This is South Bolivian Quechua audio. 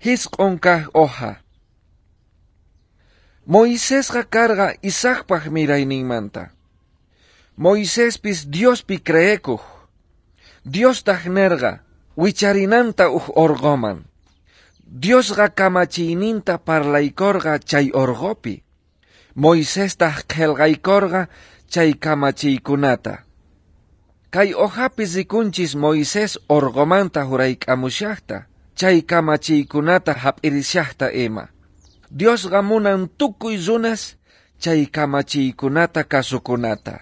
Jisq'on kaj hoja. Moisesqa karqa Isaacpaj mirayninmanta. Moisespis Diospi creekuj. Diostaj nerqa wicharinanta uj orqoman. Diosqa kamachiyninta parlaykorqa chay orqopi. Moisestaj qhelqaykorqa chay kamachiykunata. Kay hojapi rikunchis Moisés orqomanta hurayk'amushajta, chay kamachiykunata hap'irishajta ima. Diosqa munan tukuy runas chay kamachiykunata kasukunata.